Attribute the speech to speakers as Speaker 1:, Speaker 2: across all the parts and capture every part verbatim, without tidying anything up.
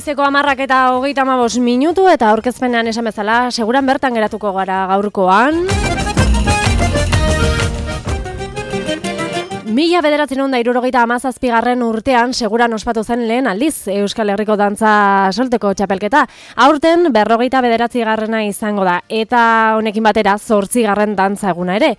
Speaker 1: Goizeko hamarrak eta hogeita hamabost minutu eta aurkezpenean esan bezala, seguran bertan geratuko gara gaurkoan. Mila bederatziehun eta hirurogeita hamazazpigarren urtean seguran ospatu zen lehen aldiz Euskal Herriko dantza solteko txapelketa. Aurten berrogeita bederatzigarrena izango da eta honekin batera zortzigarren dantza eguna ere.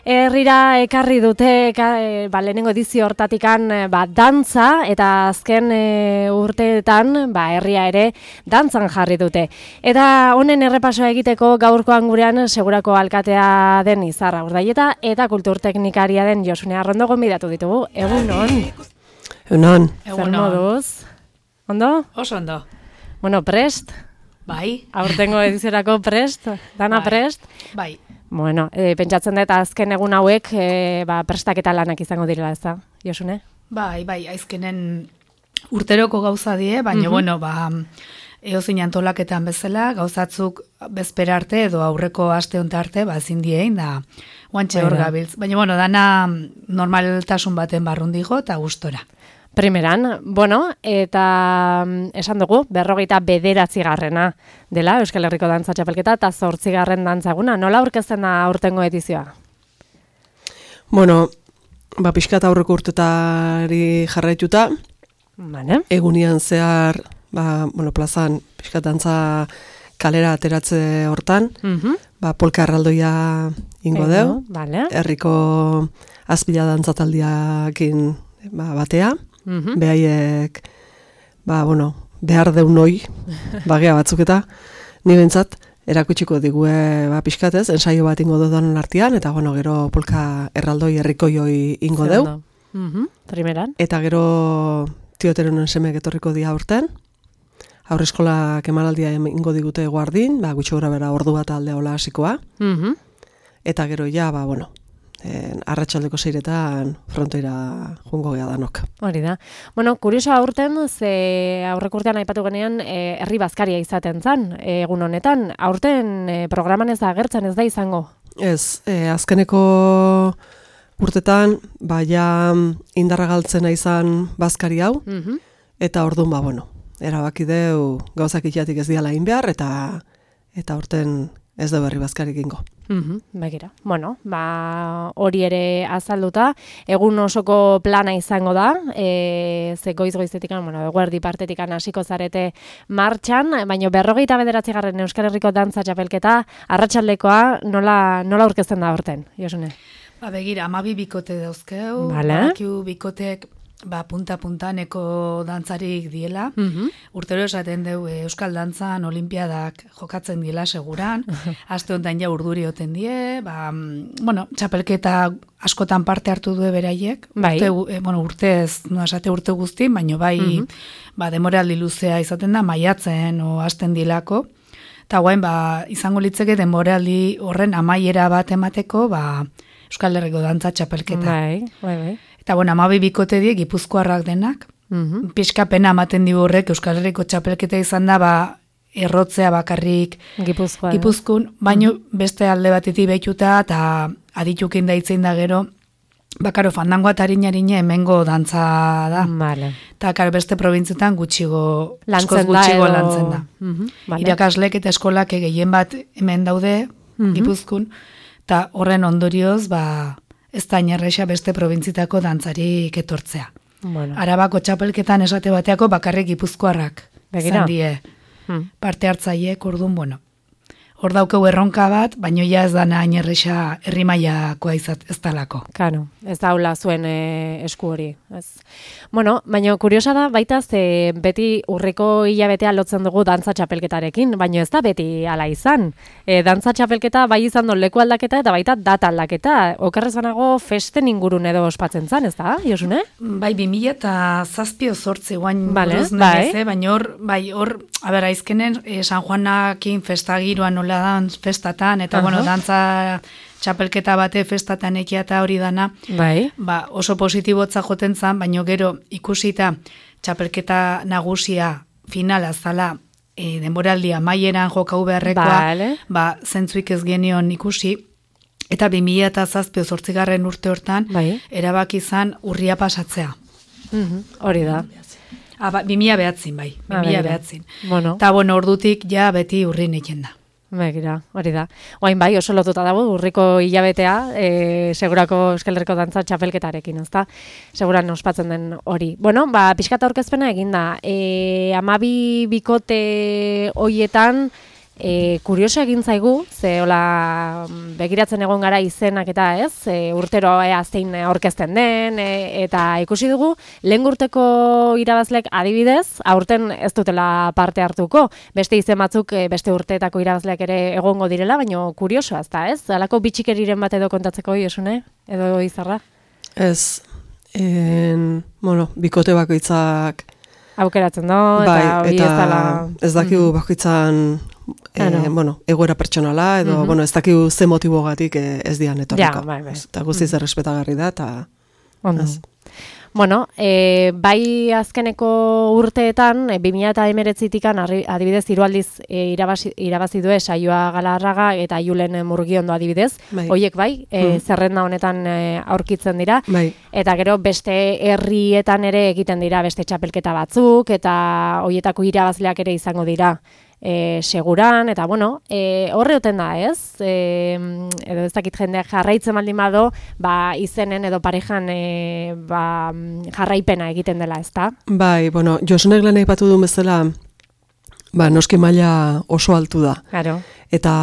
Speaker 1: Herrira ekarri dute e, ba, lehenengo edizio hortatikan ba, dantza eta azken e, urteetan ba, herria ere dantzan jarri dute. Eta honen errepasoa egiteko gaurkoan gurean segurako alkatea den Izarra Urdaieta eta kulturteknikaria den Josune Arrondo gonbidatu ditugu. Egunon.
Speaker 2: Egunon.
Speaker 1: Zer moduz? Ondo?
Speaker 3: Oso ondo.
Speaker 1: Bueno, prest?
Speaker 3: Bai.
Speaker 1: Aurtengo ediziorako prest? Dana
Speaker 3: bai.
Speaker 1: Prest?
Speaker 3: Bai.
Speaker 1: Bueno, e, pentsatzen dut azken egun hauek e, ba, prestaketa lanak izango direla, ez da, Josune?
Speaker 3: Bai, bai, aizkenen urteroko gauza die, baina, uh-huh. bueno, ba, eozin antolaketan bezala, gauzatzuk bezpera arte edo aurreko aste honta arte, ba, ezin diein, da, guantxe hor gabiltz. Baina, bueno, dana normaltasun baten barrundigo eta gustora.
Speaker 1: Primeran, bueno, eta esan dugu, berrogeita bederatzigarrena dela Euskal Herriko dantza txapelketa eta zortzigarren dantzaguna. Nola aurkezten da aurtengo edizioa?
Speaker 2: Bueno, ba, pixkat aurreko urtetari jarraituta,
Speaker 1: vale.
Speaker 2: Egunian zehar, ba, bueno, plazan pixkat dantza kalera ateratze hortan, uh-huh. ba, polka erraldoia ingo deu,
Speaker 1: vale.
Speaker 2: Herriko azpila dantzataldiakin ba, batea, uh-huh. behaiek, ba, bueno, behar deunoi, bagea batzuk eta, ni bentsat, erakutsiko digue ba, pixkatez, ensaio bat ingo dudan artean, eta bueno, gero polka erraldoi herrikoioi ingo deu.
Speaker 1: Uh-huh. Primeran.
Speaker 2: Eta gero tioteronen semeek etorriko dia urten, aurreskolak emanaldia ingo digute guardin, ba, gutxo gora bera ordu bat alde hola hasikoa, uh-huh. eta gero ja, ba, bueno, En, arratsaldeko seiretan frontoira jungo gea danok.
Speaker 1: Hori da. Bueno, kurioso aurten, ze aurreko urtean aipatu genean, e, herri bazkaria izaten zan, e, egun honetan. Aurten e, programan ez da agertzen, ez da izango?
Speaker 2: Ez, e, azkeneko urtetan, baia indarra galtzena izan bazkari hau, uh-huh. eta orduan, ba, bueno, erabaki deu gauzak itiatik ez diala egin behar, eta, eta aurten ez da berri bazkarik ingo.
Speaker 1: Mhm, begira. Bueno, ba, hori ere azalduta, egun osoko plana izango da, e, ze goiz-goizetikan, bueno, eguerdi partetikan hasiko zarete martxan, baina berrogeita bederatzigarren Euskal Herriko dantza txapelketa, arratsaldekoa nola, nola aurkezten da horten, Josune?
Speaker 3: Ba, begira, amabi bikote dauzkeu,
Speaker 1: vale.
Speaker 3: Badakiu bikotek, ba, punta-puntaneko dantzarik diela. Uh-huh. Urtero esaten deu Euskal Dantzan olimpiadak jokatzen diela seguran. Aste honetan ja urduri oten die. Ba, bueno, txapelketa askotan parte hartu du beraiek.
Speaker 1: Bai.
Speaker 3: Urte, bueno, urtez, no esate urte guzti, baino bai, uh-huh. ba, demoraldi luzea izaten da, maiatzen o hasten dilako. Eta guain, ba, izango litzeke demoraldi horren amaiera bat emateko, ba, Euskal Herriko dantza txapelketa.
Speaker 1: Bai, bai, bai.
Speaker 3: Eta, bueno, amabi bikote die, gipuzkoarrak denak. Uh-huh. Pixkapena ematen digu horrek, Euskal Herriko txapelketa izan da, ba, errotzea bakarrik
Speaker 1: Gipuzkoa,
Speaker 3: Gipuzkun, baino uh-huh. beste alde batetik behituta, eta aditukin daitzen da gero, bakaro fandangoa eta harina-harina hemengo dantza da.
Speaker 1: Vale.
Speaker 3: Eta, karo, beste probintzetan gutxigo,
Speaker 1: lantzen
Speaker 3: gutxigo
Speaker 1: da,
Speaker 3: lantzen da.
Speaker 1: Uh-huh. Vale.
Speaker 3: Irakaslek eta eskolak gehien bat hemen daude, uh-huh. Gipuzkun, eta horren ondorioz, ba, ez da inerreixa beste probintzitako dantzarik etortzea.
Speaker 1: Bueno.
Speaker 3: Arabako txapelketan esate bateako bakarrik gipuzkoarrak
Speaker 1: Begira.
Speaker 3: zandie
Speaker 1: hmm.
Speaker 3: parte hartzaiek, orduan, bueno. Hor daukeu erronka bat, baino ja ez dana inerreixa herrimailakoa izat ez talako.
Speaker 1: Kano, ez daula zuen e, esku hori. Ez. Bueno, baina kuriosa da, baita ze beti urriko hilabetea lotzen dugu dantza txapelketarekin, baina ez da beti ala izan. E, dantza txapelketa bai izan du leku aldaketa eta baita data aldaketa. Okerrez banago festen ingurun edo ospatzen zan, ez da, Josune?
Speaker 3: Bai, bi mila eta zazpio zortzi guain
Speaker 1: vale,
Speaker 3: buruz
Speaker 1: bai.
Speaker 3: nire, baina hor, bai, hor, a ber, aizkenen, eh, San Juanakin festagiroan nola dan festatan, eta, uh-huh. bueno, dantza txapelketa bate festatan ekia eta hori dana,
Speaker 1: bai.
Speaker 3: Ba, oso positibotza joten zan, baino gero ikusita txapelketa nagusia finala zala e, denboraldia maieran jokau beharrekoa,
Speaker 1: vale.
Speaker 3: Ba, zentzuik ez genion ikusi, eta bi mila eta zazpio zortzigarren urte hortan,
Speaker 1: bai.
Speaker 3: erabaki izan urria pasatzea.
Speaker 1: Uh-huh. Hori da.
Speaker 3: Ah, ba, bi mila behatzin, bai, bi mila behatzin.
Speaker 1: Bueno.
Speaker 3: Eta, bueno, ordutik ja beti urrin egin da.
Speaker 1: Begira, hori da. Oain bai, oso lotuta dago, urriko hilabetea, e, segurako Euskal Herriko dantza txapelketarekin, ezta? Seguran ospatzen den hori. Bueno, ba, pixkata aurkezpena egin da. E, amabi bikote hoietan, E, kurioso egin zaigu, ze hola begiratzen egon gara izenak eta ez, e, urtero ea zein aurkezten den, e, eta ikusi dugu, lehen urteko irabazlek adibidez, aurten ez dutela parte hartuko, beste izen batzuk e, beste urteetako irabazleak ere egongo direla, baina kuriosoa ez da, ez? Halako bitxikeriren bat edo kontatzeko Josune, edo Izarra?
Speaker 2: Ez, en, bueno, bikote bakoitzak
Speaker 1: aukeratzen do,
Speaker 2: bai,
Speaker 1: eta hori ez dala...
Speaker 2: ez dakigu mm-hmm. bakoitzan e, no. bueno, egoera pertsonala, edo mm-hmm. bueno, ez dakigu ze motibogatik ez dian etorriko.
Speaker 1: Ja, bai, bai.
Speaker 2: Eta guztiz mm-hmm. errespetagarri da, eta...
Speaker 1: Ondo. Bueno, e, bai azkeneko urteetan, e, bi mila hemeretzitikan adibidez hiru aldiz e, irabazi, irabazi du Saioa Galarraga eta Julen Murgiondo adibidez. Bai. Hoiek bai, e, mm. zerrenda honetan e, aurkitzen dira. Bai. Eta gero beste herrietan ere egiten dira beste txapelketa batzuk, eta hoietako irabazleak ere izango dira. E, seguran, eta bueno, e, horre oten da, ez? E, edo ez dakit jendeak jarraitzen baldin bado, ba, izenen edo parejan e, ba, jarraipena egiten dela, ez da?
Speaker 2: Bai, bueno, Josunek lehen aipatu du bezala, ba, noski maila oso altu da.
Speaker 1: Claro.
Speaker 2: Eta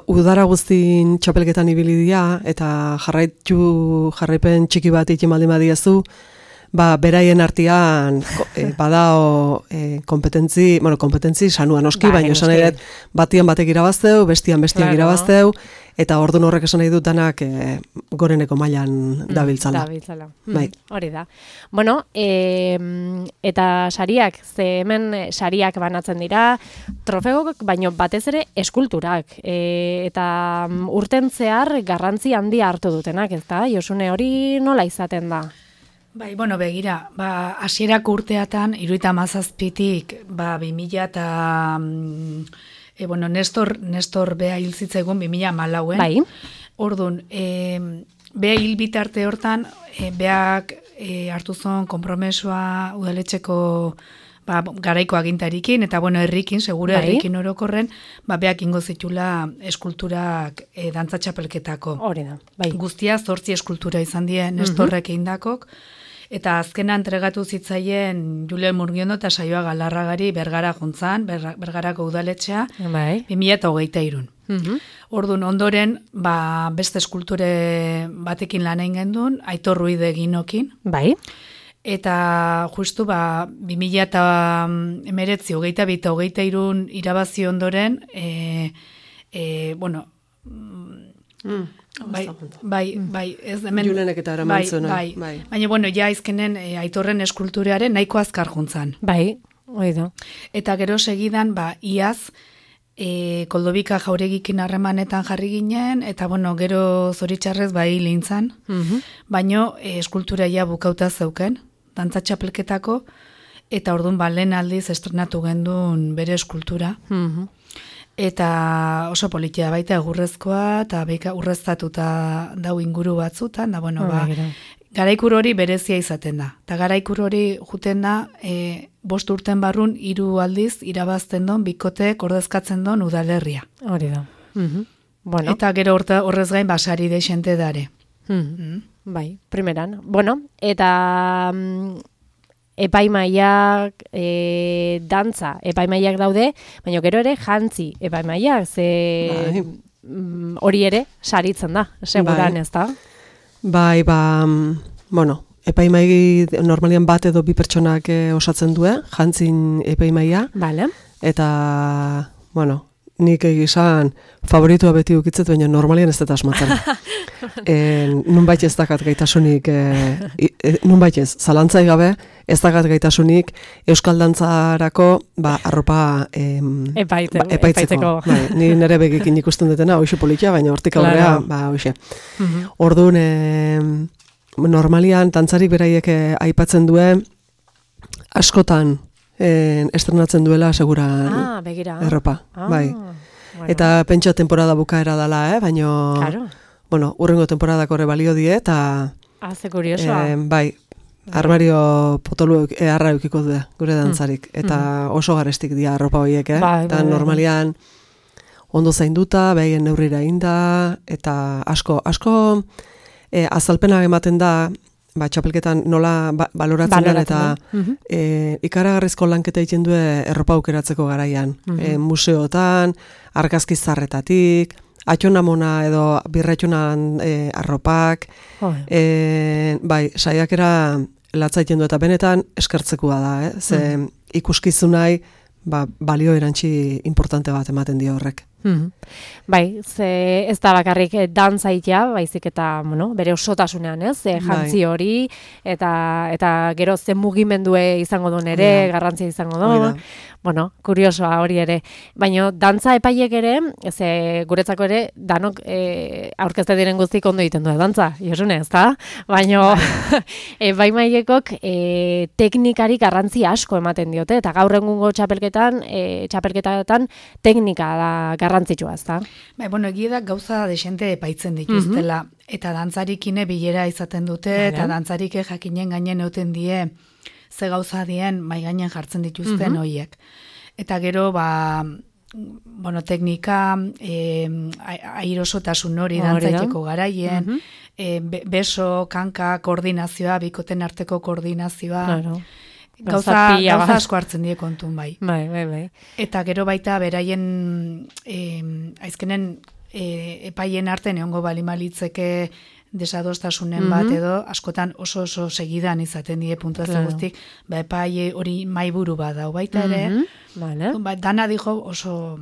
Speaker 2: udara guztin txapelketan ibili dira, eta jarraitu, jarraipen txiki bat ikin baldin badiezu, ba, beraien artean e, badao e, kompetentzi, bueno, kompetentzi sanua noski, ba, baina esan nahi dut batian batek irabazteu, bestian bestiak claro. irabazteu, eta ordun horrek esan nahi dutanak e, goreneko mailan mm, dabiltzala.
Speaker 1: Dabiltzala. Bai. Mm, hori da. Bueno, e, eta sariak, ze hemen sariak banatzen dira, trofeok, baino batez ere eskulturak, e, eta urten zehar garrantzi handia hartu dutenak, ez da? Josune, hori nola izaten da?
Speaker 3: Bai, bueno, begira, ba, hasierako urteatan, hirurogeita hamazazpitik, ba, bi mila eta, e, bueno, Nestor, Nestor bea hil zitzaigun bi mila hamalauen.
Speaker 1: Bai.
Speaker 3: Orduan, e, bea hil bitarte hortan, e, beak e, hartu zon konpromesua udaletxeko ba, garaiko agintarikin, eta bueno, herrikin, segura bai. Herrikin orokorren, ba, beak ingo zitula eskulturak e, dantza txapelketako.
Speaker 1: Hori da, bai.
Speaker 3: Guztia zortzi eskultura izan die Nestorrek mm-hmm. eindakok, eta azkena entregatu zitzaien Julen Murgiondo eta Saioa Galarragari Bergara juntzan, ber, Bergarako udaletxea,
Speaker 1: bai.
Speaker 3: bi mila hogeita hirun. Mm-hmm. Orduan, ondoren, ba, beste eskulture batekin lan egin gendun, Aitor Ruide Ginokin.
Speaker 1: Bai.
Speaker 3: Eta justu, ba, bi mila hemeretzi, hogeita bi eta hogeita hirun irabazi ondoren, e, e, bueno, mm. Bai, bai, bai, ez hemen...
Speaker 2: Julenek eta eraman zuen.
Speaker 3: Bai, bai. Baina, bueno, ja izkenen e, Aitorren eskulturearen nahiko azkar juntzan.
Speaker 1: Bai, hori da.
Speaker 3: Eta gero segidan, ba, iaz, e, Koldobika Jauregikin harremanetan jarri ginen, eta, bueno, gero zoritxarrez, bai, lintzan. Mm-hmm. Baina, e, eskultura ja bukauta zeuken, dantza txapelketako, eta orduan, ba, lehen aldiz estrenatu gendun bere eskultura. Mm-hmm. Eta oso politia baita egurrezkoa, eta beika urreztatuta dau inguru batzutan, da, bueno, ba, garaikur hori berezia izaten da. Eta garaikur hori juten da, e, bost urten barrun, hiru aldiz, irabazten don, bikotek ordezkatzen don udalerria.
Speaker 1: Hori da. Mm-hmm. Bueno.
Speaker 3: Eta gero orta, horrez gain, basari deixente dare.
Speaker 1: Mm-hmm. Mm. Bai, primeran. Bueno, eta... Mm, epaimaiak, e, dantza, epaimaiak daude, baina gero ere jantzi epaimaiak, ze bai. Hori ere saritzen da, seguran bai. Ez da?
Speaker 2: Bai, ba, bueno, epaimai normalian bat edo bi pertsonak e, osatzen due, jantzin epaimaia,
Speaker 1: vale. Eta,
Speaker 2: bueno, nik egizan favoritua beti ukitzet, baina normalian ez dut asmatzen. e, nunbait ez dakat gaitasunik, e, e, nunbait ez, zalantzai gabe, ez dakat gaitasunik Euskal Dantzarako ba, arropa em,
Speaker 1: Epaite,
Speaker 2: ba, epaitzeko. Bai, ni nire begikin ikusten dutena, hoxe politia, baina hortik aurrea, claro. Ba, hoxe. Mm-hmm. Orduan, e, normalian, dantzarik beraiek aipatzen duen, askotan, En, estrenatzen duela segura
Speaker 1: ah, begira.
Speaker 2: Erropa,
Speaker 1: ah,
Speaker 2: bai.
Speaker 1: Bueno.
Speaker 2: Eta pentsa temporada bukaera dela, eh? Baina,
Speaker 1: claro.
Speaker 2: Bueno, urrengo temporadako ere balio die, eta...
Speaker 1: Ah, ze kuriosoa.
Speaker 2: Eh, bai, armario potolu eharra eukiko du gure dantzarik. Eta oso garestik dira arropa horiek, eh?
Speaker 1: Bai,
Speaker 2: Eta
Speaker 1: bai, bai.
Speaker 2: normalian ondo zainduta, behaien neurrira inda, eta asko, asko e, azalpenak ematen da, ba, txapelketan nola ba, baloratzen den, eta
Speaker 1: Mhm.
Speaker 2: e, ikaragarrizko lanketa egiten du erropa aukeratzeko garaian. E, museotan, argazki zarretatik, atxonamona edo birretxonan e, arropak,
Speaker 1: Oi.
Speaker 2: e, bai, saiakera latza egiten du, eta benetan eskertzekoa da, eh? Ze ikuskizunai ba, balio erantzi importante bat ematen dio horrek.
Speaker 1: Mhm. Bai, ze ez da bakarrik eh, dantza itea, baizik eta, bueno, bere osotasunean, ez? E, jantzi hori, eta eta gero ze mugimendue izango duen ere,
Speaker 2: Hori da.
Speaker 1: garrantzia izango
Speaker 2: Hori
Speaker 1: du.
Speaker 2: da.
Speaker 1: Bueno, kuriosoa hori ere. Baina dantza epaiek ere, ze guretzako ere, danok e, aurkezte diren guztik ondo egiten du dantza, Josune, ez da? Baina epaimaiekok e, teknikari garrantzi asko ematen diote, eta gaur egungo txapelketan, e, txapelketatan teknika da garrantzitsua, ez da?
Speaker 3: Bai, bueno, egia da gauza desente epaitzen dituztela, eta dantzarikine bilera izaten dute,
Speaker 1: Vale.
Speaker 3: eta dantzarike jakinen gainen euten die, ze gauza dien mai gainen jartzen dituzten
Speaker 1: Mhm.
Speaker 3: hoiek. Eta gero, ba, bueno, teknika, eh, airosotasun hori
Speaker 1: Hori da.
Speaker 3: dantzaiteko garaien,
Speaker 1: Mhm.
Speaker 3: eh, be- beso, kanka, koordinazioa, bikoten arteko koordinazioa,
Speaker 1: Claro.
Speaker 3: gauza,
Speaker 1: Gauza pila
Speaker 3: gauza
Speaker 1: bat.
Speaker 3: asko hartzen die kontun bai.
Speaker 1: Bai, bai, bai.
Speaker 3: Eta gero baita beraien eh, aizkenen eh, epaien artean egongo balimalitzeke desadostasunen
Speaker 1: Mhm.
Speaker 3: bat edo askotan oso oso segidan izaten die puntuazio
Speaker 1: Claro.
Speaker 3: guztik, ba epai hori maiburu bat dau baita ere,
Speaker 1: Mhm. Vale.
Speaker 3: ba, dana dijo oso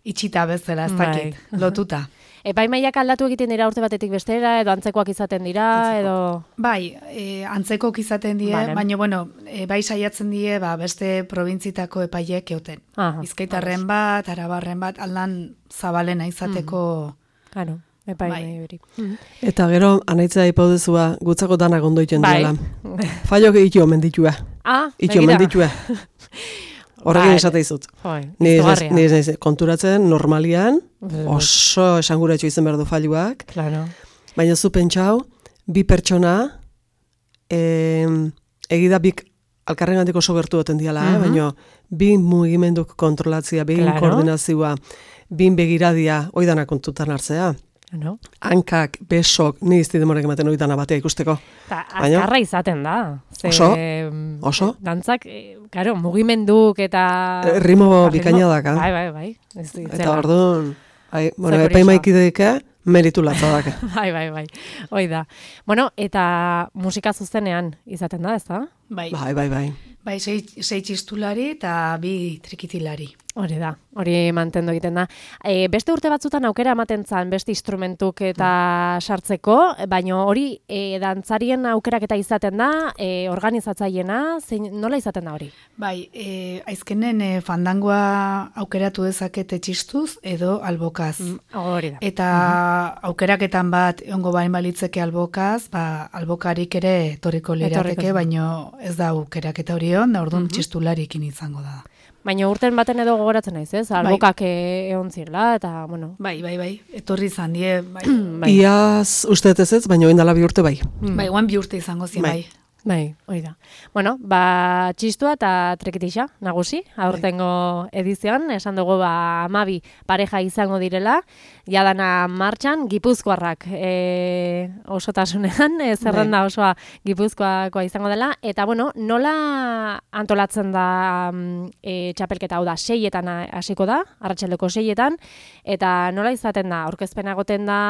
Speaker 3: itxita bezala, ez
Speaker 1: Bai.
Speaker 3: dakit, lotuta.
Speaker 1: Epaimaiak aldatu egiten dira urte batetik bestera, edo antzekoak izaten dira, edo...
Speaker 3: Bai, e, antzekok izaten die,
Speaker 1: Vale.
Speaker 3: baina bueno, e, bai saiatzen die ba, beste probintzitako epaiek euten.
Speaker 1: Aha,
Speaker 3: Bizkaitarren bat, arabarren bat, aldan zabalena izateko...
Speaker 1: Claro, epaimai
Speaker 3: Bai.
Speaker 1: hori. Mhm.
Speaker 2: Eta gero, anaitzea ipaudezua, gutzako danak ondo egiten
Speaker 1: Bai.
Speaker 2: duela. Fallo itxio omen ditue.
Speaker 1: Ah,
Speaker 2: Itxio
Speaker 1: begira.
Speaker 2: omen ditue. Horrekin
Speaker 1: Bai.
Speaker 2: esate izut.
Speaker 1: Joi,
Speaker 2: Ni ez
Speaker 1: izugarria.
Speaker 2: ni ez naiz konturatzen normalian,
Speaker 1: Bai.
Speaker 2: oso esanguratxo izan behar du falluak,
Speaker 1: Claro.
Speaker 2: baina zu pentsau, bi pertsona, eh, egida bik alkarrengandik oso gertu duten diala, eh?
Speaker 1: Mhm.
Speaker 2: baina bi mugimenduk kontrolatzia, bi
Speaker 1: Claro.
Speaker 2: koordinazioa, bin begiradia, oidana kontutan hartzea.
Speaker 1: No?
Speaker 2: Hankak, besok, ni izti demorek ematen oidana batea ikusteko.
Speaker 1: Ta,
Speaker 2: Baina-
Speaker 1: azkarra izaten da. Ze,
Speaker 2: Oso,
Speaker 1: mm,
Speaker 2: oso.
Speaker 1: Dantzak, eh, claro, mugimenduk eta...
Speaker 2: Eh, ritmo
Speaker 1: Ba,
Speaker 2: bikaina daka.
Speaker 1: Bai, bai, bai. Ez
Speaker 2: Eta
Speaker 1: itzela.
Speaker 2: orduan, bai, bueno,
Speaker 1: Ze
Speaker 2: epaimaikideeke meritu latza daka.
Speaker 1: Bai, bai, bai. Hoi da. Bueno, eta musika zuzenean izaten da, ez da?
Speaker 3: Bai,
Speaker 2: Bai, bai, bai.
Speaker 3: bai sei, sei txistulari eta bi trikitilari.
Speaker 1: Hori da, hori mantendu egiten da. E, beste urte batzutan aukera ematen zan beste instrumentuk eta sartzeko, baina hori e, dantzarien aukeraketa izaten da, e, organizatzaiena, zein, nola izaten da hori?
Speaker 3: Bai, e, aizkenen e, fandangoa aukeratu dezakete txistuz edo albokaz.
Speaker 1: Hori da.
Speaker 3: Eta aukeraketan bat egongo bain balitzeke albokaz, ba, albokarik ere etorriko lirateke,
Speaker 1: Etorriko.
Speaker 3: baino ez da aukeraketa hori on, da orduan txistularikin izango da.
Speaker 1: Baina urten baten edo gogoratzen naiz, ez? Albokak e, egon zirela, eta, bueno...
Speaker 3: Bai, bai, bai, etorri izan die, bai.
Speaker 1: Bai,
Speaker 2: Iaz uste ez ez, baina oindala bi urte bai.
Speaker 3: Bai, guan bi urte izango zien,
Speaker 2: Bai.
Speaker 3: bai.
Speaker 1: bai, hori da. Bueno, ba, txistua eta trekitixa, nagusi, aurtengo edizioan, esan dugu, ba, amabi pareja izango direla, jadana martxan, gipuzkoarrak e, osotasunean, e, zerrenda osoa gipuzkoakoa izango dela, eta, bueno, nola antolatzen da mm, e, txapelketa, hau da, seietan hasiko da, arratsaldeko seietan, eta nola izaten da, aurkezpena egoten da,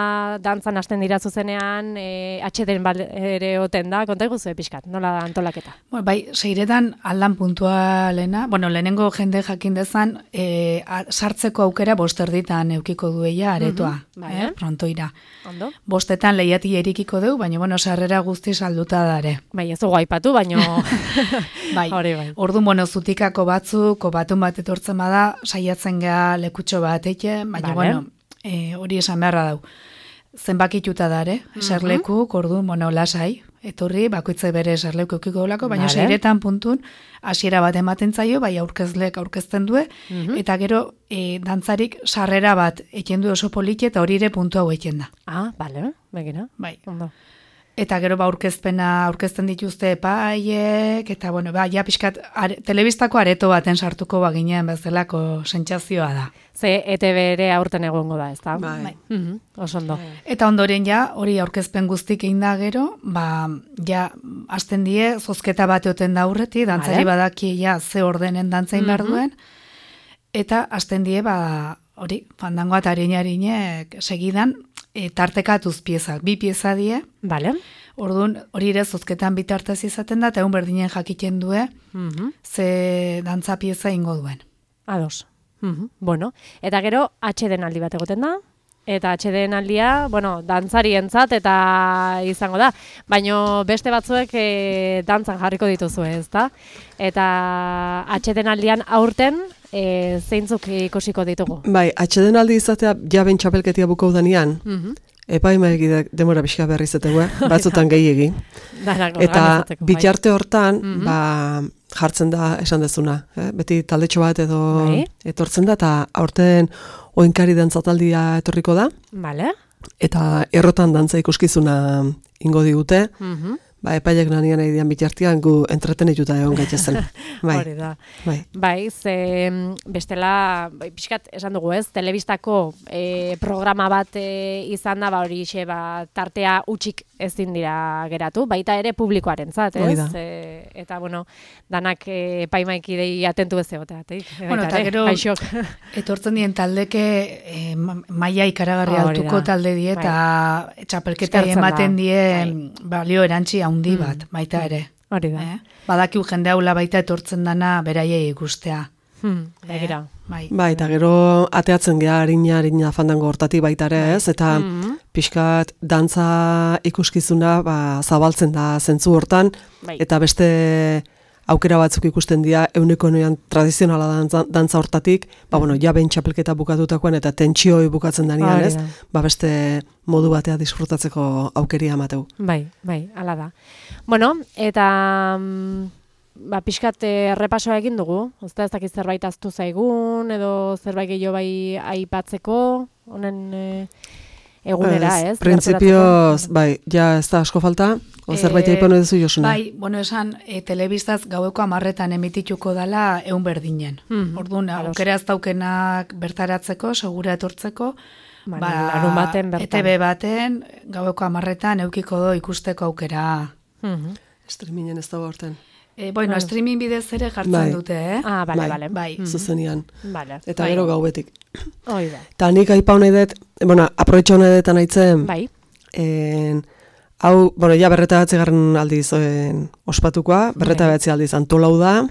Speaker 1: dantzan hasten dira zuzenean, e, atxeden ere oten da, konta iguzu pixkat, nola da antolaketa?
Speaker 3: Bueno, bai, seiretan aldan puntualena, bueno, lehenengo jende jakin dezan, e, a, sartzeko aukera bosterditan eukiko dueia aretoa,
Speaker 1: Mhm, bai,
Speaker 3: eh,
Speaker 1: eh?
Speaker 3: prontoira.
Speaker 1: Ondo?
Speaker 3: Bostetan lehiati erikiko deu, baina, bueno, sarrera guzti salduta dare.
Speaker 1: Bai, ez dugu aipatu, baino...
Speaker 3: Bai,
Speaker 1: Hori bai.
Speaker 3: orduan, bueno, zutikako batzuk, batun bat etortzen bada, saiatzen gea lekutxo bat eke, baina,
Speaker 1: Vale.
Speaker 3: bueno, e, hori esan beharra dau. Zenbakituta dare, eserlekuk, orduan, bueno, lasai, etorri, bakoitza bere eserleku eukiko olako, baina
Speaker 1: Vale.
Speaker 3: seiretan puntun, hasiera bat ematen zaio, bai aurkezlek aurkezten due,
Speaker 1: Mhm.
Speaker 3: eta gero e, dantzarik sarrera bat eken du oso politxe, eta hori ere puntu hau eken da.
Speaker 1: Ah, bale, begira.
Speaker 3: Bai.
Speaker 1: Ondo.
Speaker 3: Eta gero ba aurkezpena aurkezten dituzte epaiek, eta bueno, ba, ja pixkat are, telebistako areto baten sartuko baginen bezalako sentsazioa da.
Speaker 1: Ze E T B ere aurten egongo da, ezta?
Speaker 2: Bai.
Speaker 1: Mhm, oso ondo.
Speaker 3: Eta ondoren ja, hori aurkezpen guztik egin da gero, ba, ja, hasten die, zozketa bat eoten da aurreti, dantzari
Speaker 1: Vale.
Speaker 3: badaki ja ze ordenen dantzain behar duen, eta hasten die, ba, hori, fandangoa eta harine-harinek segidan, e, tartekatuz piezak, bi pieza die,
Speaker 1: Vale.
Speaker 3: orduan hori ere zozketan bitartez izaten da, eta egun berdinen jakiten due,
Speaker 1: Mhm.
Speaker 3: ze dantza pieza ingo duen.
Speaker 1: Ados. Mhm. Bueno, eta gero H D aldi bat egoten da. Eta H D aldia, bueno, dantzarientzat eta izango da. Baino beste batzuek e, dantzan jarriko dituzu, ezta? Eta H D aldian aurten e, zeintzuk ikusiko ditugu.
Speaker 2: Bai, atxeden aldi izatea jaben txapelketia bukau danean,
Speaker 1: Mhm.
Speaker 2: epaimaek demora pixka berri izategoa, batzutan gehiegi.
Speaker 1: Danak
Speaker 2: Eta
Speaker 1: organizatzeko, bai.
Speaker 2: bitarte hortan,
Speaker 1: Mhm.
Speaker 2: ba, jartzen da esan dezuna. Eh? Beti taldetxo bat edo
Speaker 1: Bai.
Speaker 2: etortzen da, eta aurten oinkari dantzataldia etorriko da,
Speaker 1: Vale.
Speaker 2: eta errotan dantza ikuskizuna ingo digute,
Speaker 1: Mhm.
Speaker 2: ba, epaiek nanian nahi dian bitartian gu entretenituta egon gaitezen. Bai,
Speaker 1: Hori da.
Speaker 2: bai.
Speaker 1: Bai, ze mm, bestela, bai, pixkat esan dugu ez, telebistako e, programa bat e, izan da, ba hori xe, ba, tartea utxik ezin dira geratu, baita ere publikoarentzat,
Speaker 2: Hori
Speaker 1: ez?
Speaker 2: da.
Speaker 1: E, eta, bueno, danak e, paimaikidei atentu ez egoteatik.
Speaker 3: Bueno, eta gero-
Speaker 1: Aixok.
Speaker 3: Etortzen dien taldeke e, ma- maila ikaragarri
Speaker 1: Hori
Speaker 3: altuko
Speaker 1: da.
Speaker 3: talde die, eta txapelketa
Speaker 1: Eskertzen da.
Speaker 3: ematen die
Speaker 1: Bai.
Speaker 3: balio erantzi handi bat, baita ere.
Speaker 1: Hori da.
Speaker 3: Eh? Badakiu jende haula baita etortzen dana beraiei ikustea.
Speaker 1: Hmm, begira.
Speaker 3: Bai.
Speaker 2: Bai, eta gero ateatzen geha harina, harina fandango hortatik baita ere, ez? Eta
Speaker 1: Mhm.
Speaker 2: pixkat dantza ikuskizuna ba, zabaltzen da zentzu hortan,
Speaker 1: Bai.
Speaker 2: eta beste aukera batzuk ikusten dira euneko noian tradizionala dantza, dantza hortatik, ba, bueno, jaben txapelketa bukatutakoan eta tentsioi bukatzen danean,
Speaker 1: Hori
Speaker 2: ez?
Speaker 1: da.
Speaker 2: Ba, beste modu batea disfrutatzeko aukeria emateu.
Speaker 1: Bai, bai, hala da. Bueno, eta mm, ba, pixkat eh, errepasoa egin dugu, ozta ez dakit zerbait aztu zaigun, edo zerbait gehiago bai aipatzeko, honen eh, egunera, ez?
Speaker 2: Printzipioz, bai, ja ez da asko falta, o zerbait
Speaker 3: Eh,
Speaker 2: aipano duzu Josune.
Speaker 3: Bai, bueno, esan, e, telebistaz gaueko amarretan emitituko dala eun berdinen.
Speaker 1: Mhm,
Speaker 3: Orduan,
Speaker 1: ados.
Speaker 3: aukera ez daukenak bertaratzeko, segura etortzeko,
Speaker 1: Ba, larun baten bertan.
Speaker 3: E T B baten, gaueko amarretan eukiko do ikusteko aukera.
Speaker 1: Mhm.
Speaker 2: Streamingen ez dago horten.
Speaker 3: E, bueno,
Speaker 1: Bai.
Speaker 3: streaming bidez ere jartzen
Speaker 2: Bai.
Speaker 3: dute, eh?
Speaker 1: Ah, bale,
Speaker 2: Bai.
Speaker 1: bale.
Speaker 3: Bai.
Speaker 1: Mhm.
Speaker 2: Zuzenean.
Speaker 1: Bale.
Speaker 2: Eta
Speaker 3: Bai.
Speaker 2: gero gaubetik.
Speaker 1: Hoi da.
Speaker 2: Eta nik aipa honei dut, bueno, aprobetxo honei dut anaitzen,
Speaker 1: Bai.
Speaker 2: en, hau, bueno, ja berreta batzi garren aldiz en, ospatukoa, berreta batzi aldiz antolau da,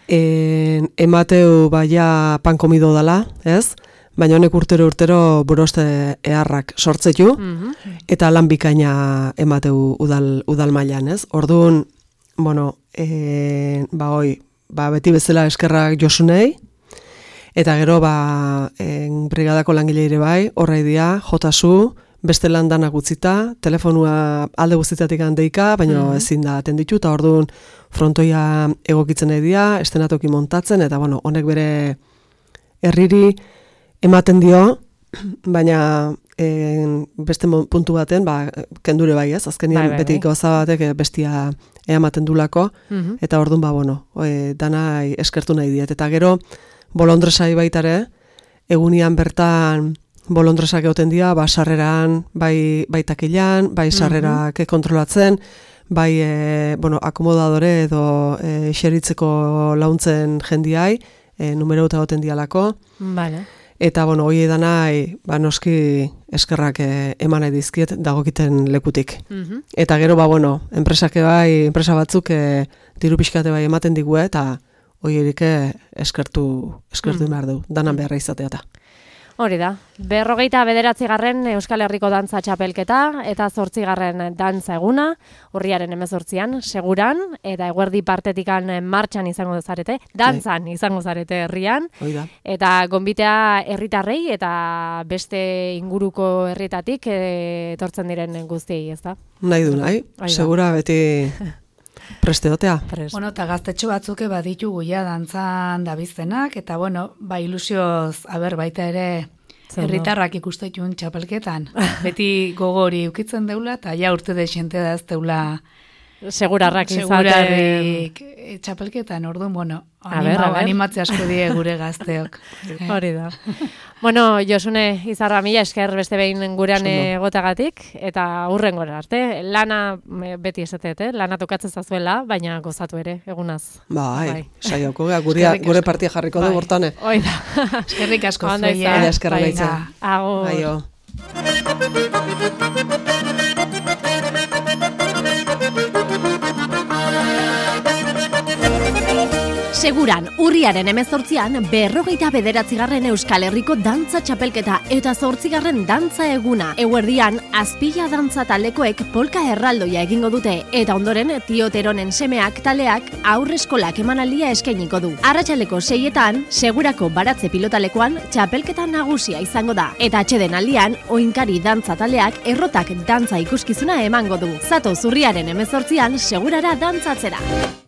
Speaker 2: en, emateu baia pan komido dala, ez? Baina honek urtero urtero buroste eharrak sortzetu,
Speaker 1: Mhm.
Speaker 2: eta lan bikaina emateu udal, udal mailan, ez? Orduan, bueno, en, ba hoi, ba beti bezala eskerrak Josunei, eta gero ba en, brigadako langile ere bai, horra idia, jotasu, beste lan danak utzita, telefonua alde guztitatik handeika, baina
Speaker 1: Mhm.
Speaker 2: ezin da atenditu, eta orduan frontoia egokitzen nahi dira, estenatoki montatzen, eta bueno, honek bere herriri ematen dio, baina en, beste mo- puntu baten, ba, kendure bai ez, azkenian
Speaker 1: Bai, bai,
Speaker 2: beti
Speaker 1: bai.
Speaker 2: gauza batek eh, bestia ematen dulako,
Speaker 1: Mhm.
Speaker 2: eta orduan ba, bueno, e, dana eskertu nahi diet. Eta gero, bolondresai baitare, egunian bertan bolondresak egoten dira, ba, sarreran, bai, bai takilan, bai sarrerak kontrolatzen, bai, e, bueno, akomodadore edo e, xeritzeko launtzen jendiai, e, numero eta egoten dialako,
Speaker 1: Bale.
Speaker 2: eta, bueno, hoi edanai, ba, noski eskerrak e, eman nahi dizkiet dagokiten lekutik.
Speaker 1: Mhm.
Speaker 2: Eta gero, ba, bueno, enpresak bai, enpresa batzuk e, diru pixkate bai ematen digu, eta hoierik e, eskertu, eskertu
Speaker 1: Mm.
Speaker 2: behar du, danan beharra izatea eta.
Speaker 1: Hori da. Berrogeita bederatzigarren Euskal Herriko Dantza Txapelketa eta zortzigarren dantza eguna, urriaren hemezortzian, seguran, eta eguerdi partetikan martxan izango zarete, dantzan izango zarete herrian,
Speaker 2: Hoi da.
Speaker 1: eta gonbitea herritarrei eta beste inguruko herrietatik eh, etortzen diren guztiei, ezta?
Speaker 2: Nahi du, nahi?
Speaker 1: Hoi da.
Speaker 2: Segura beti presteotea.
Speaker 1: Pres.
Speaker 3: Bueno, eta gaztetxo batzuke baditugu ja dantzan dabiztenak, eta bueno, ba ilusioz, aber baita ere herritarrak ikusteitun txapelketan. Beti gogori ukitzen deula, eta ja urte de xente da ez deula
Speaker 1: segurarrak izaten.
Speaker 3: Segurarrik txapelketan, orduan, bueno, anima, animatzea asko die gure gazteok.
Speaker 1: Hori da. Bueno, Josune Izarra, mila esker beste behin gurean egotagatik, eta hurrengora arte. Lana, beti esatet, eh? Lana tokatzen zazuela, baina gozatu ere, egunaz.
Speaker 2: Bai, saioko, gure partia jarriko du bortane.
Speaker 1: Hoi da.
Speaker 3: Eskerrik asko
Speaker 1: zuei.
Speaker 2: Eskerra gaitza.
Speaker 1: Agur.
Speaker 2: Aio.
Speaker 4: Seguran, urriaren hemezortzian, berrogeita bederatzigarren Euskal Herriko dantza txapelketa eta zortzigarren dantza eguna. Eguerdian, Azpila dantza taldekoek polka erraldoia egingo dute, eta ondoren Tioteronen semeak taleak aurreskolak emanaldia eskainiko du. Arratsaleko seietan, Segurako baratze pilotalekoan txapelketa nagusia izango da. Eta atxeden aldian, Oinkari dantza taleak errotak dantza ikuskizuna emango du. Zato zurriaren hemezortzian, Segurara dantzatzera.